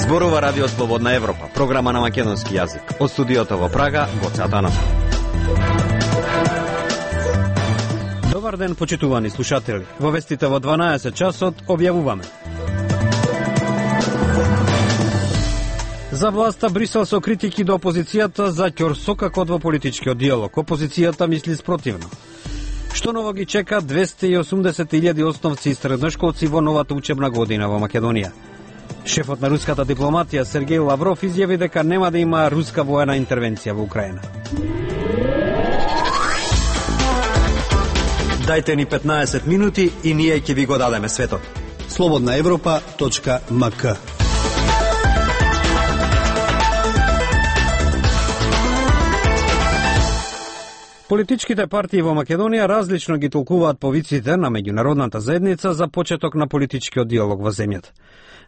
Зборува Радио Слободна Европа, програма на македонски јазик. Од студиото во Прага, Гоце Атанасов. Добар ден, почитувани слушатели. Во вестите во 12 часот објавуваме. За власта Брисел со критики до опозицијата за ќорсокакот во политичкиот диалог. Опозицијата мисли спротивно. Што ново ги чека 280.000 основци и средношколци во новата учебна година во Македонија? Шефот на руската дипломатија Сергеј Лавров изјави дека нема да има руска воена интервенција во Украина. Дајте ни 15 минути и ние ќе ви го дадеме светот. slobodnaevropa.mk. Политичките партии во Македонија различно ги толкуваат повиците на меѓународната заедница за почеток на политичкиот диалог во земјата.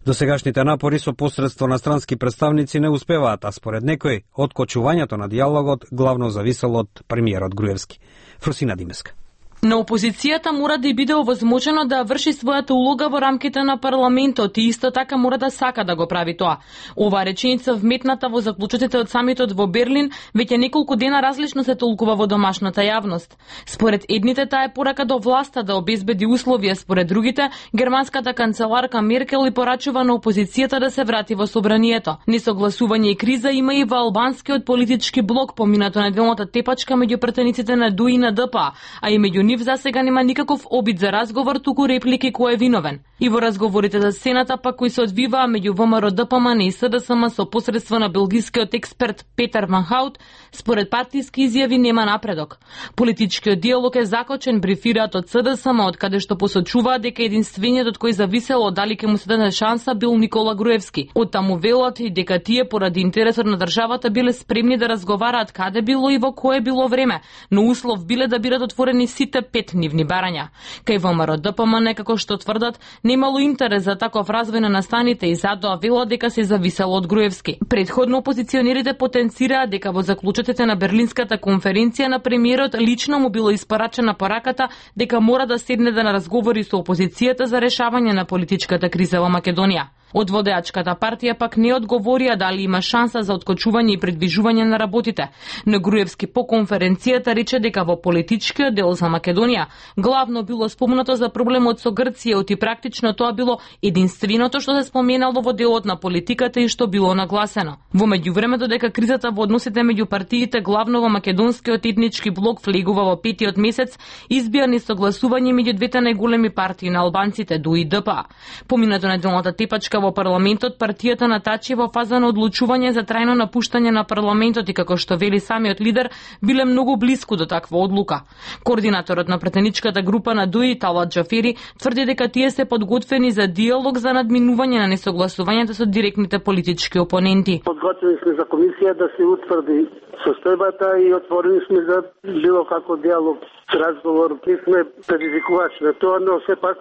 Досегашните напори со посредство на странски представници не успеваат, а според некој, откочувањето на диалогот главно зависело од премиерот Груевски. Фрусина Димеска. На опозицијата мора да биде овозможено да врши својата улога во рамките на парламентот и исто така мора да сака да го прави тоа. Оваа реченица вметната во заклучоците од самитот во Берлин веќе неколку дена различно се толкува во домашната јавност. Според едните таа е порака до власта да обезбеди условија, според другите германската канцеларка Меркел и порачува на опозицијата да се врати во собранието. Несогласување и криза има и во албанскиот политички блок поминато неделната тепачка меѓу пратениците на ДУИ и на ДПА, а и меѓу нив за сега нема никаков обид за разговор, туку реплики кој е виновен. И во разговорите за Сената пак кои се одвиваа меѓу ВМРО, ДПМН и СДСМ со посредство на белгискиот експерт Петер Ван Хаут, според партиски изјави нема напредок. Политичкиот диалог е закочен, брифираат од СДСМ, од каде што посочуваат дека единствениот од кој зависело дали ќе му се даде шанса бил Никола Груевски. Од таму велат и дека тие поради интересот на државата биле спремни да разговараат каде било и во кое било време, но услов биле да бидат отворени сите 5 нивни барања. Кај ВМРО ДПМН, како што тврдат, немало интерес за таков развој на настаните и затоа велат дека се зависело од Груевски. Предходно опозиционерите потенцираа дека во заклучоците на Берлинската конференција на премиерот лично му било испарачена пораката дека мора да седне да разговори со опозицијата за решавање на политичката криза во Македонија. Од водеачката партија пак не одговорија дали има шанса за откочување и предвижување на работите. Но Груевски по конференцијата рече дека во политичкиот дел за Македонија главно било спомнато за проблемот со Грција, и практично тоа било единственото што се споменало во делот на политиката и што било нагласено. Во меѓувремето дека кризата во односите меѓу партиите главно во македонскиот етнички блок влегува во петиот месец, избија несогласување меѓу двете најголеми партии на албанците, ДУИ и ДПА. Поминато неделната тепачка во парламентот, партијата натачи во фаза на одлучување за трајно напуштање на парламентот и како што вели самиот лидер, биле многу блиску до таква одлука. Координаторот на претеничката група на ДУИ, Талат Джафери, тврди дека тие се подготвени за диалог за надминување на несогласувањето со директните политички опоненти. Подготвени сме за комисија да се утврди состојбата и отворени сме за било како диалог, разговор. Не сме предизвикувачи на тоа, но сепак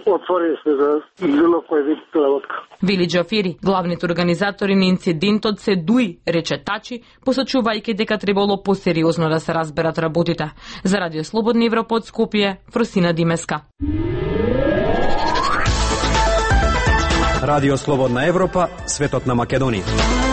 отворени сме за било кој вид работа. Вели Джафери, главните организатори на инцидентот се ДУИ, рече Тачи, посочувајќи дека требало посериозно да се разберат работите. За Радио Слободна Европа од Скопје, Фрусина Димеска. Радио Слободна Европа, светот на Македонија.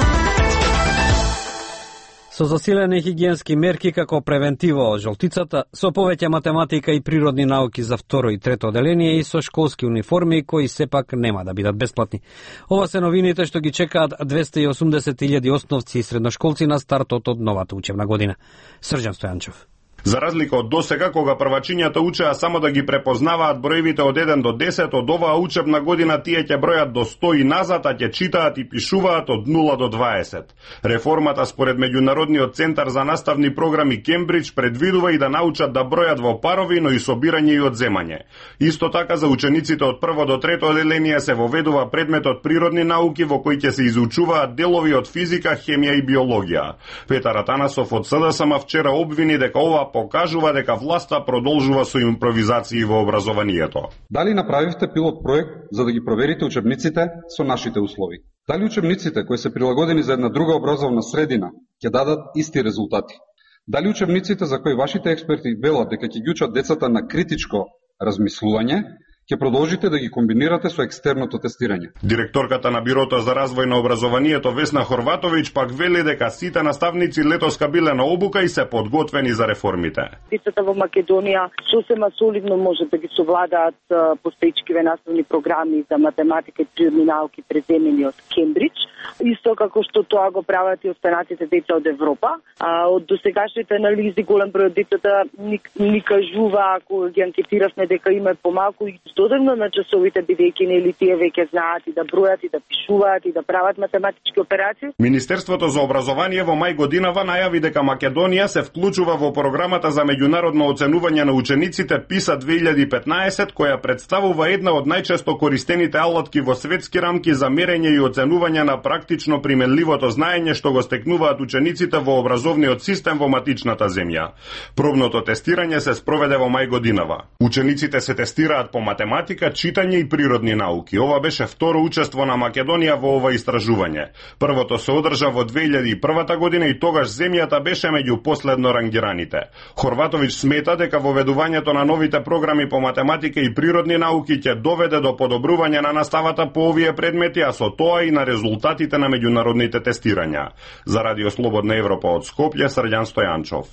Со засилени хигиенски мерки како превентива од жолтицата, со повеќе математика и природни науки за второ и трето оделение и со школски униформи кои сепак нема да бидат бесплатни. Ова се новините што ги чекаат 280.000 основци и средношколци на стартот од новата учебна година. Срđan Стојанчев. За разлика од досега, кога првачињата учеа само да ги препознаваат броевите од 1 до 10, од оваа учебна година тие ќе бројат до 100 и назад, а ќе читаат и пишуваат од 0 до 20. Реформата според Меѓународниот центар за наставни програми Кембридж предвидува и да научат да бројат во парови, но и собирање и одземање. Исто така за учениците од прво до трето оделение се воведува предметот природни науки во кој ќе се изучуваат делови од физика, хемија и биологија. Петар Атанасов од СДСМ вчера обвини дека ова покажува дека власта продолжува со импровизации во образованието. Дали направивте пилот проект за да ги проверите учебниците со нашите услови? Дали учебниците кои се прилагодени за една друга образовна средина ќе дадат исти резултати? Дали учебниците за кои вашите експерти велат дека ќе ги учат децата на критичко размислување, ќе продолжите да ги комбинирате со екстерното тестирање? Директорката на Бирото за развој на образованието Весна Хорватовиќ пак вели дека сите наставници летоска биле на обука и се подготвени за реформите. Децата во Македонија сосема солидно може да ги совладаат постоечкиве наставни програми за математика и природни науки преземени од Кембридж, исто како што тоа го прават и останатите деца од Европа. Од досегашните анализи голем број од децата ни кажува, ако ги анкетиравме, дека има помалку и додавно на часовите, бидејќи нели тие веќе знаат и да бројат, и да пишуваат, и да прават математички операции. Министерството за образование во мај годинава најави дека Македонија се вклучува во програмата за меѓународно оценување на учениците PISA 2015, која представува една од најчесто користените алатки во светски рамки за мерење и оценување на практично применливото знаење што го стекнуваат учениците во образовниот систем во матичната земја. Пробното тестирање се спроведе во мај годинава. Учениците се тестираат по математика, читање и природни науки. Ова беше второ учество на Македонија во ова истражување. Првото се одржа во 2001 година и тогаш земјата беше меѓу последно рангираните. Хорватовиќ смета дека воведувањето на новите програми по математика и природни науки ќе доведе до подобрување на наставата по овие предмети, а со тоа и на резултатите на меѓународните тестирања. За Радио Слободна Европа од Скопје, Срđan Стојанчов.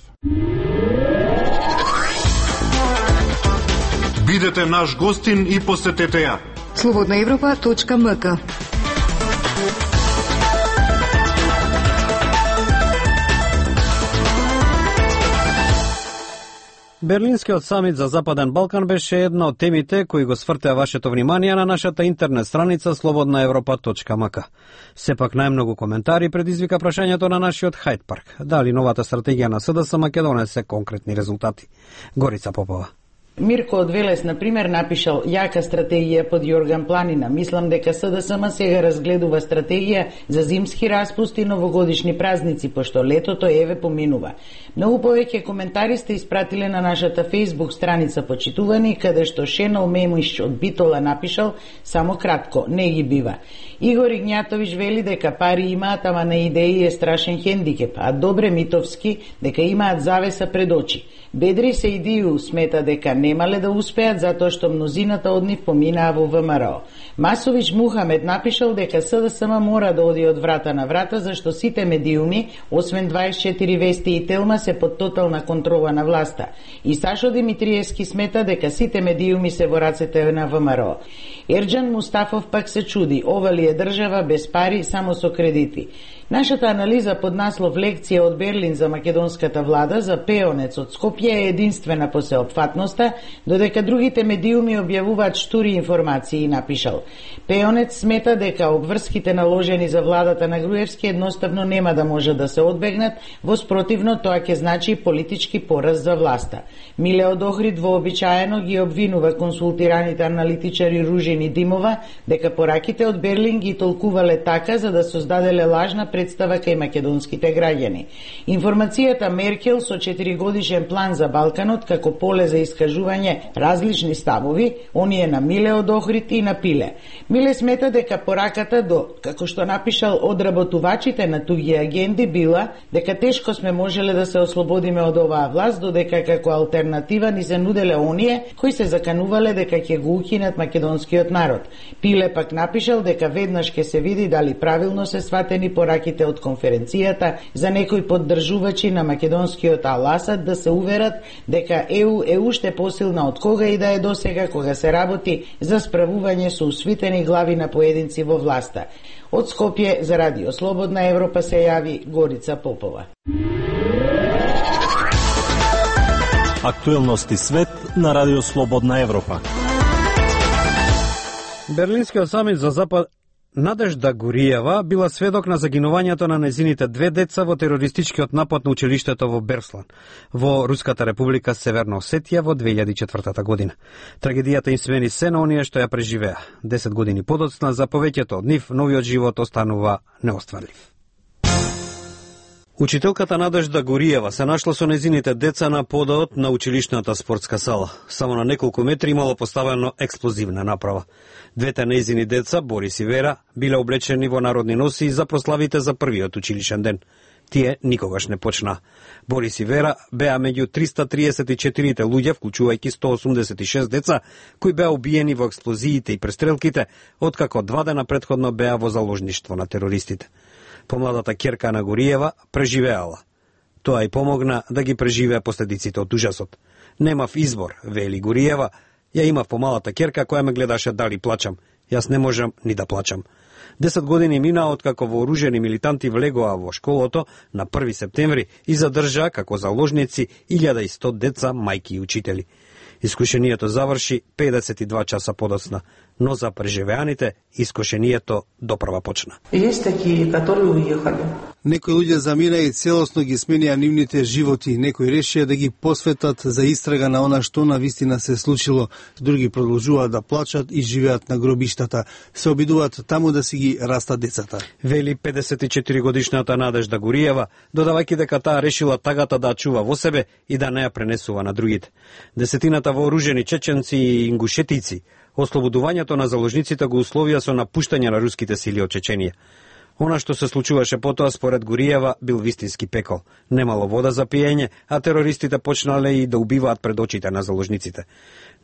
Бидете наш гостин и посетете ја. slobodnaevropa.mk. Берлинскиот самит за Западен Балкан беше една од темите кои го свртеа вашето внимание на нашата интернет страница slobodnaevropa.mk. Сепак најмногу коментари предизвика прашањето на нашиот Хајд парк. Дали новата стратегија на СДС ма ќе донесе конкретни резултати? Горица Попова. Мирко од Велес, например, напишал јака стратегија под Јорган Планина. Мислам дека СДСМ сега разгледува стратегија за зимски распусти и новогодишни празници, пошто летото еве поминува. Многу повеќе коментари сте испратиле на нашата Facebook страница почитувани, каде што Шенол Мемиш од Битола напишал само кратко, не ги бива. Игор Игњатовиќ вели дека пари имаат, ама на идеи е страшен хендикеп, а Добре Митовски дека имаат завеса пред очи. Бедри се идију смета дека немале да успеат затоа што мнозината од нив поминаа во ВМРО. Масовиќ Мухамед напишал дека СДСМ мора да оди од врата на врата, зашто сите медиуми, освен 24 вести и Телма, се под тотална контрола на власта. И Сашо Димитриевски смета дека сите медиуми се во рацете на ВМРО. Ерџан Мустафов пак се чуди, ова ли е држава без пари, само со кредити. Нашата анализа под наслов Лекција од Берлин за македонската влада за Пеонец од Скопје е единствена по сеопфатноста, додека другите медиуми објавуваат штури информации, и напишал. Пеонец смета дека обврските наложени за владата на Груевски едноставно нема да може да се одбегнат, во спротивно тоа ќе значи политички пораз за власта. Милеод Охрид вообичаено ги обвинува консултираните аналитичари Ружин и Димова дека пораките од Берлин ги толкувале така за да создаделе лажна представа кај македонските граѓани. Информацијата Меркел со 4-годишен план за Балканот како поле за искажување различни ставови, оние на Миле од Охрид и на Пиле. Миле смета дека пораката до, како што напишал, одработувачите на туги агенди била дека тешко сме можеле да се ослободиме од оваа власт, додека како алтернатива ни се нуделе оние кои се заканувале дека ќе го укинат македонскиот народ. Пиле пак напишал дека веднаш ќе се види дали правилно се сватени пораките од конференцијата за некои поддржувачи на македонскиот Ал-Асад да се уверат дека ЕУ е уште посилна од кога и да е досега кога се работи за справување со усвитени глави на поединци во власта. Од Скопје за Радио Слободна Европа се јави Горица Попова. Актуелности свет на Радио Слободна Европа. Берлинскиот самит за Запад Надежда Гуриева била сведок на загинувањето на незините две деца во терористичкиот напад на училиштето во Берслан, во Руската република Северна Осетија во 2004 година. Трагедијата им смени се на оние што ја преживеа. 10 години подоцна за повеќето од нив новиот живот останува неостварлив. Учителката Надежда Гуриева се нашла со незините деца на подот на училишната спортска сала. Само на неколку метри имало поставено експлозивна направа. Двете незини деца, Борис и Вера, биле облечени во народни носи за прославите за првиот училишен ден. Тие никогаш не почна. Борис и Вера беа меѓу 334 луѓе, вклучувајќи 186 деца, кои беа убиени во експлозиите и престрелките, откако 2 дена претходно беа во заложништво на терористите. Помладата ќерка на Гуриева преживеала. Тоа и помогна да ги преживее последиците од ужасот. Немав избор, вели Гуриева, ја имав помалата ќерка која ме гледаше дали плачам. Јас не можам ни да плачам. 10 години мина откако вооружени милитанти влегоа во школото на 1 септември и задржаа како заложници 1100 деца, мајки и учители. Искушението заврши 52 часа подоцна, но за преживеаните искушението допрва почна. Есть такие, которые уехали. Некои луѓе замина и целосно ги сменија нивните животи. Некои решија да ги посветат за истрага на она што на вистина се случило. Други продолжуваат да плачат и живеат на гробиштата. Се обидуваат таму да си ги растат децата. Вели 54 годишната Надежда Гуриева, додавајќи дека таа решила тагата да чува во себе и да не ја пренесува на другите. Десетината вооружени чеченци и ингушетици ослободувањето на заложниците го условија со напуштање на руските сили од Чеченија. Она што се случуваше потоа според Гуриева бил вистински пекол. Немало вода за пиење, а терористите почнале и да убиваат пред очите на заложниците.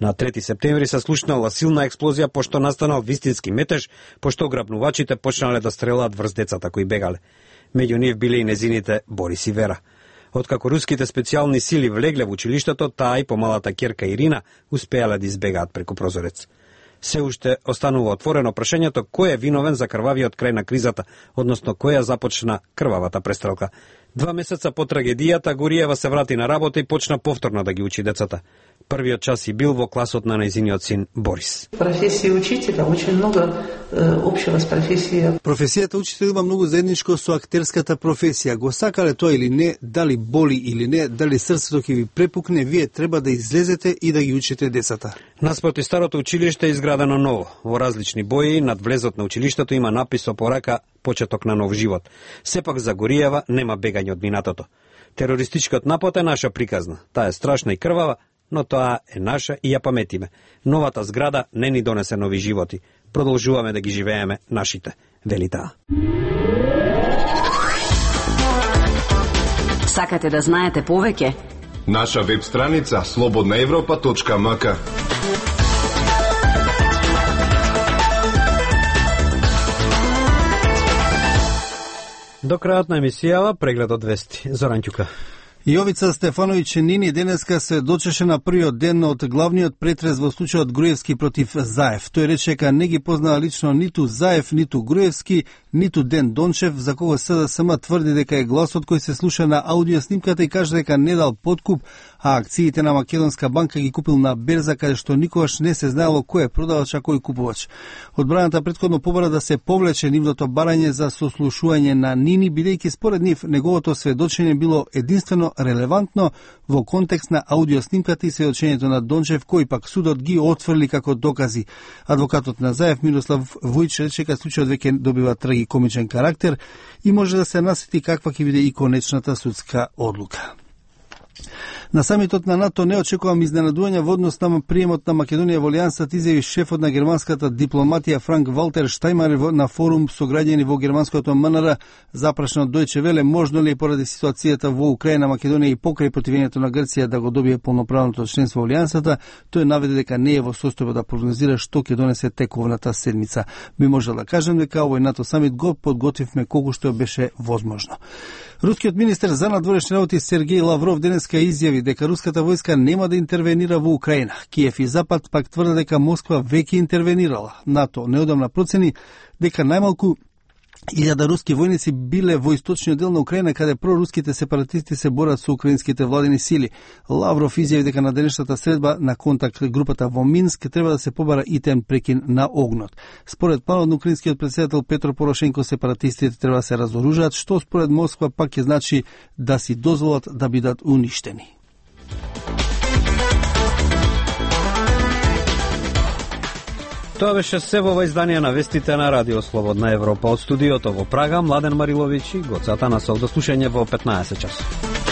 На 3 септември се слушнала силна експлозија пошто настанал вистински метеж, пошто грабнувачите почнале да стрелаат врз децата кои бегале. Меѓу нив биле и незините Борис и Вера. Откако руските специјални сили влегле во училиштето, таа и помалата ќерка Ирина успеале да избегаат преку прозорец. Се уште останува отворено прашањето кој е виновен за крвавиот крај на кризата, односно која започна крвавата престрелка. 2 месеца по трагедијата Гуриева се врати на работа и почна повторно да ги учи децата. Првиот час и бил во класот на нејзиниот син Борис. Професија учителя очень много општего с професија. Професијата учител има многу заедничко со актерската професија. Го сакале тоа или не, дали боли или не, дали срцето ќе ви препукне, вие треба да излезете и да ги учите децата. Наспроти старото училиште е изградено ново. Во различни бои над влезот на училиштето има напис со порака почеток на нов живот. Сепак за Гуриева нема бегање од минатото. Терористичкиот напад е наша приказна. Таа е страшна и крвава, но тоа е наша и ја паметиме. Новата зграда не ни донесе нови животи. Продолжуваме да ги живееме нашите, вели таа. Сакате да знаете повеќе? Наша веб страница slobodnaevropa.mk. До крајот на емисијава преглед од вести. Зоран Ќука. Јовица Стефановиќ Нини денеска се дочеше на првиот ден од главниот претрес во случајот Груевски против Заев. Тој рече дека не ги познава лично ниту Заев, ниту Груевски, ниту Ден Дончев, за кого СДСМ тврди дека е гласот кој се слуша на аудио снимката и каже дека не дал подкуп, а акциите на Македонска банка ги купил на берза каде што никогаш не се знаело кој е продавач а кој купувач. Одбраната претходно побара да се повлече нивното барање за сослушување на Нини, бидејќи според нив неговото сведочење било единствено релевантно во контекст на аудиоснимката и сведочењето на Дончев, кој пак судот ги отфрли како докази. Адвокатот на Заев Мирослав Вујч рече дека случајот веќе добива трагикомичен карактер и може да се насети каква ќе биде и конечната судска одлука. На самитот на НАТО не очекувам изненадување во однос на приемот на Македонија во Алијансата, изјави шефот на германската дипломатија Франк Валтер Штајнмајер на форум со граѓани во германското МНР. Запрашен од Дојче Веле можно ли поради ситуацијата во Украина, Македонија и покрај противењето на Грција да го добие полноправното членство во Алијансата, тој наведе дека не е во состојба да прогнозира што ќе донесе тековната седмица. Би можел да кажем дека овој НАТО самит го подготвивме колку што беше возможно. Рускиот министер за надворешни работи Сергеј Лавров денеска изјави дека руската војска нема да интервенира во Украина. Киев и Запад пак тврде дека Москва веќе интервенирала. НАТО неодамна процени дека најмалку 1000 руски војници биле во источниот дел на Украина, каде проруските сепаратисти се борат со украинските владени сили. Лавров изјави дека на денешната средба на контакт групата во Минск треба да се побара итен прекин на огнот. Според планот на украинскиот претседател Петро Порошенко, сепаратистите треба да се разоружат, што според Москва пак ќе значи да си дозволат да бидат уништени. Тоа беше се во издание на вестите на Радио Слободна Европа. Од студиото во Прага, Младен Мариловиќ и Гоцата на Сол. До слушање во 15 часот.